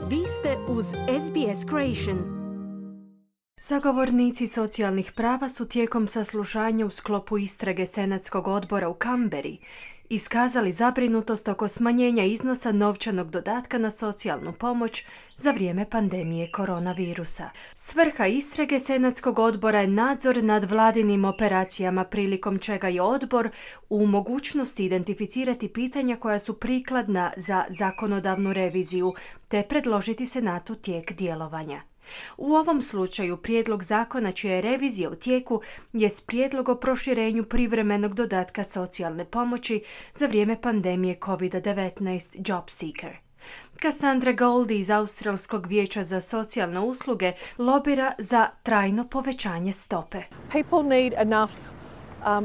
Vi ste uz SBS Creation. Sagovornici socijalnih prava su tijekom saslušanja u sklopu istrage Senatskog odbora u Canberri iskazali zabrinutost oko smanjenja iznosa novčanog dodatka na socijalnu pomoć za vrijeme pandemije koronavirusa. Svrha istrage Senatskog odbora je nadzor nad vladinim operacijama, prilikom čega je odbor u mogućnosti identificirati pitanja koja su prikladna za zakonodavnu reviziju te predložiti Senatu tijek djelovanja. U ovom slučaju prijedlog zakona čija je revizija u tijeku jest prijedlog o proširenju privremenog dodatka socijalne pomoći za vrijeme pandemije COVID-19 JobSeeker. Cassandra Goldie iz Australskog vijeća za socijalne usluge lobira za trajno povećanje stope. People need enough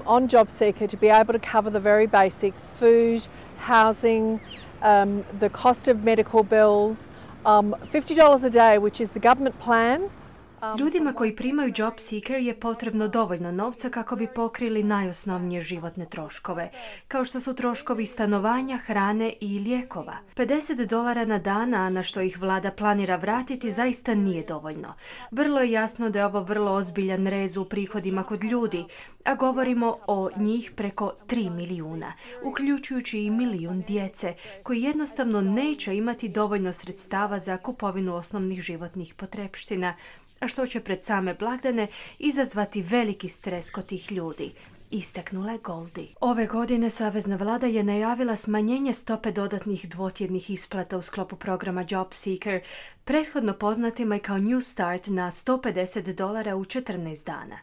on JobSeeker to be able to cover the very basics: food, housing, the cost of medical bills. $50 a day, which is the government plan. Ljudima koji primaju JobSeeker je potrebno dovoljno novca kako bi pokrili najosnovnije životne troškove, kao što su troškovi stanovanja, hrane i lijekova. $50 na dan, a na što ih vlada planira vratiti, zaista nije dovoljno. Vrlo je jasno da je ovo vrlo ozbiljan rez u prihodima kod ljudi, a govorimo o njih preko 3 milijuna, uključujući i milijun djece, koji jednostavno neće imati dovoljno sredstava za kupovinu osnovnih životnih potrepština, a što će pred same blagdane izazvati veliki stres kod tih ljudi, istaknula je Goldie. Ove godine Savezna vlada je najavila smanjenje stope dodatnih dvotjednih isplata u sklopu programa JobSeeker, prethodno poznatima i kao New Start, na $150 u 14 dana.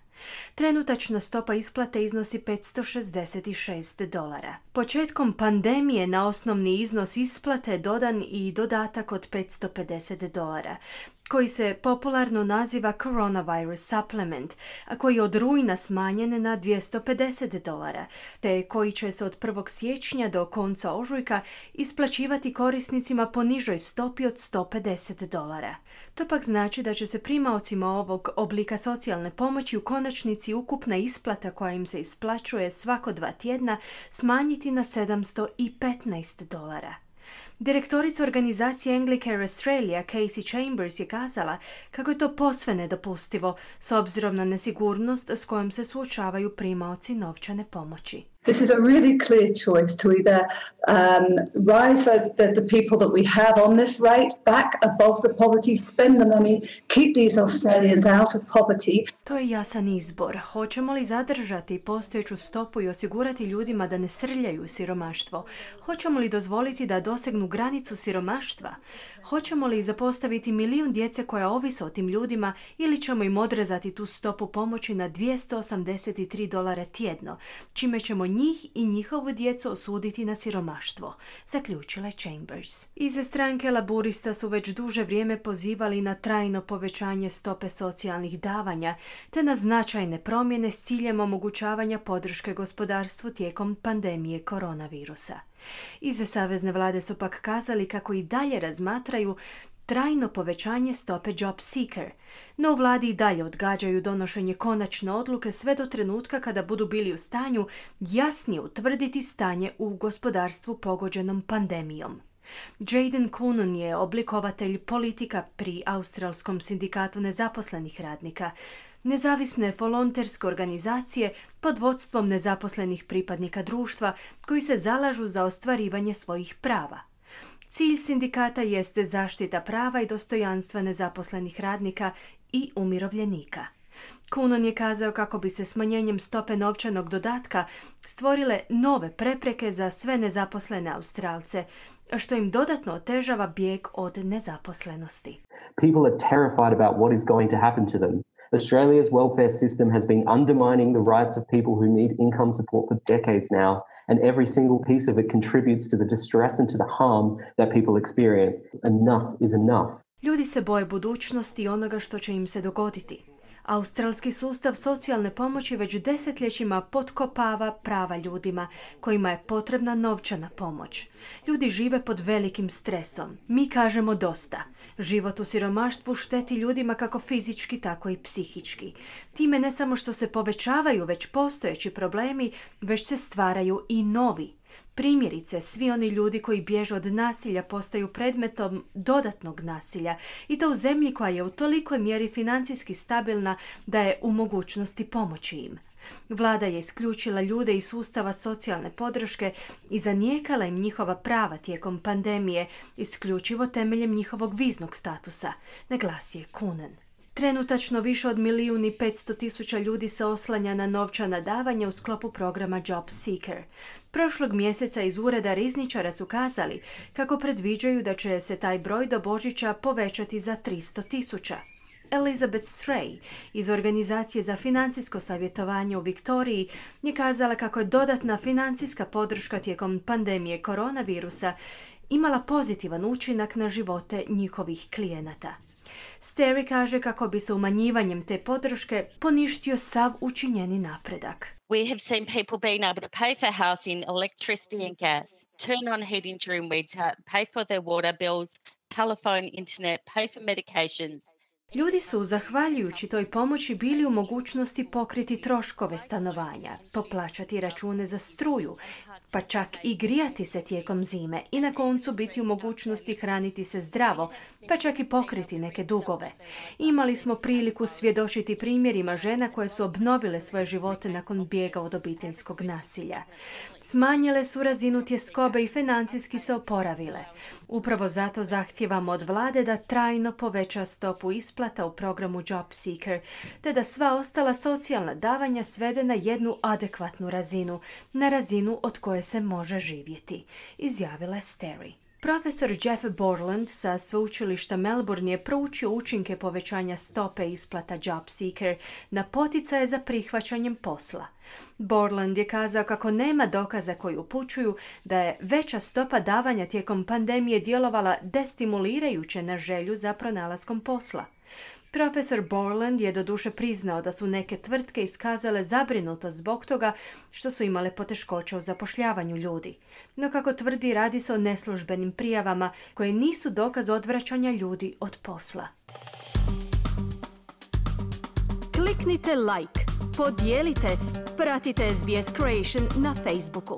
Trenutačna stopa isplate iznosi $566. Početkom pandemije na osnovni iznos isplate dodan i dodatak od $550, koji se popularno naziva Coronavirus Supplement, a koji je od rujna smanjen na $250, te koji će se od 1. siječnja do konca ožujka isplaćivati korisnicima po nižoj stopi od $150. To pak znači da će se primaocima ovog oblika socijalne pomoći u konačnici ukupna isplata koja im se isplaćuje svako 2 tjedna smanjiti na $715. Direktorica organizacije Anglicare Australia, Casey Chambers, je kazala kako je to posve nedopustivo s obzirom na nesigurnost s kojom se suočavaju primaoci novčane pomoći. This is a really clear choice to either rise the people that we have on this rate back above the poverty, spend the money, keep these Australians out of poverty. To je jasan izbor. Hoćemo li zadržati postojeću stopu i osigurati ljudima da ne srljaju u siromaštvo? Hoćemo li dozvoliti da dosegnu granicu siromaštva? Hoćemo li zapostaviti milijun djece koja ovise o tim ljudima ili ćemo im odrezati tu stopu pomoći na $283 tjedno, čime ćemo njih i njihovu djecu osuditi na siromaštvo, zaključila je Chambers. Iz stranke Laburista su već duže vrijeme pozivali na trajno povećanje stope socijalnih davanja te na značajne promjene s ciljem omogućavanja podrške gospodarstvu tijekom pandemije koronavirusa. Iz Savezne vlade su pak kazali kako i dalje razmatraju trajno povećanje stope JobSeeker, no u vladi i dalje odgađaju donošenje konačne odluke sve do trenutka kada budu bili u stanju jasnije utvrditi stanje u gospodarstvu pogođenom pandemijom. Jaden Coonan je oblikovatelj politika pri Australskom sindikatu nezaposlenih radnika, nezavisne volonterske organizacije pod vodstvom nezaposlenih pripadnika društva koji se zalažu za ostvarivanje svojih prava. Cilj sindikata jeste zaštita prava i dostojanstva nezaposlenih radnika i umirovljenika. Coonan je kazao kako bi se smanjenjem stope novčanog dodatka stvorile nove prepreke za sve nezaposlene Australce, što im dodatno otežava bijeg od nezaposlenosti. People are terrified about what is going to happen to them. Australia's welfare system has been undermining the rights of people who need income support for decades now, and every single piece of it contributes to the distress and to the harm that people experience. Enough is enough. Ljudi se boje budućnosti i onoga što će im se dogoditi. Australski sustav socijalne pomoći već desetljećima potkopava prava ljudima kojima je potrebna novčana pomoć. Ljudi žive pod velikim stresom. Mi kažemo dosta. Život u siromaštvu šteti ljudima kako fizički, tako i psihički. Time ne samo što se povećavaju već postojeći problemi, već se stvaraju i novi. Primjerice, svi oni ljudi koji bježe od nasilja postaju predmetom dodatnog nasilja i to u zemlji koja je u tolikoj mjeri financijski stabilna da je u mogućnosti pomoći im. Vlada je isključila ljude iz sustava socijalne podrške i zanijekala im njihova prava tijekom pandemije, isključivo temeljem njihovog viznog statusa, naglasio je Coonan. Trenutačno više od 1.500.000 ljudi se oslanja na novčana davanja u sklopu programa Job Seeker. Prošlog mjeseca iz ureda rizničara su kazali kako predviđaju da će se taj broj do Božića povećati za 300.000. Elizabeth Stray iz Organizacije za financijsko savjetovanje u Viktoriji je kazala kako je dodatna financijska podrška tijekom pandemije koronavirusa imala pozitivan učinak na živote njihovih klijenata. Stary kaže kako bi se umanjivanjem te podrške poništio sav učinjeni napredak. We have seen people being able to pay for housing, electricity and gas, turn on heating during winter, pay for their water bills, telephone, internet, pay for medications. Ljudi su, zahvaljujući toj pomoći, bili u mogućnosti pokriti troškove stanovanja, poplaćati račune za struju, pa čak i grijati se tijekom zime i na koncu biti u mogućnosti hraniti se zdravo, pa čak i pokriti neke dugove. Imali smo priliku svjedočiti primjerima žena koje su obnovile svoje živote nakon bijega od obiteljskog nasilja. Smanjile su razinu tjeskobe i financijski se oporavile. Upravo zato zahtijevamo od vlade da trajno poveća stopu isplata u programu Job Seeker, te da sva ostala socijalna davanja svede na jednu adekvatnu razinu, na razinu od koje se može živjeti, izjavila je Stary. Profesor Jeff Borland sa sveučilišta Melbourne je proučio učinke povećanja stope isplata Job Seeker na poticaje za prihvaćanjem posla. Borland je kazao kako nema dokaza koji upućuju da je veća stopa davanja tijekom pandemije djelovala destimulirajuće na želju za pronalaskom posla. Profesor Borland je doduše priznao da su neke tvrtke iskazale zabrinutost zbog toga što su imale poteškoće u zapošljavanju ljudi. No kako tvrdi, radi se o neslužbenim prijavama koje nisu dokaz odvraćanja ljudi od posla. Kliknite like, podijelite, pratite SBS Creation na Facebooku.